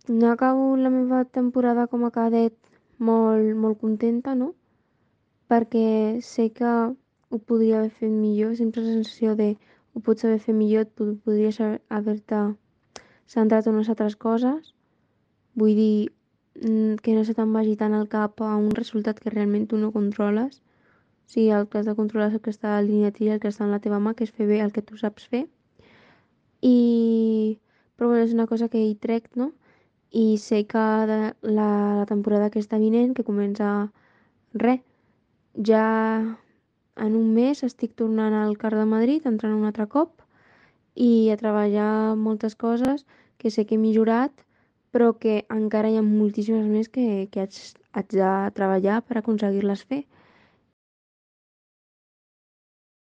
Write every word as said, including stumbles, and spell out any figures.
No acabo la meva temporada com a cadet molt, molt contenta, no? Perquè sé que ho podria haver fet millor, sempre la sensació de ho pots haver fet millor, et pod- podries haver- haver-te centrat en unes altres coses. Vull dir, mm, que no se te'n vagi tant al cap a un resultat que realment tu no controles. O sigui, el que has de controlar és el que està alineat i el que està en la teva mà, que és fer bé el que tu saps fer. I... Però bueno, és una cosa que hi trec, no? I sé que de la, la temporada que està vinent, que comença res, ja en un mes estic tornant al Car de Madrid, entrant un altre cop, i a treballar moltes coses que sé que he millorat, però que encara hi ha moltíssimes més que, que haig, haig de treballar per aconseguir-les fer.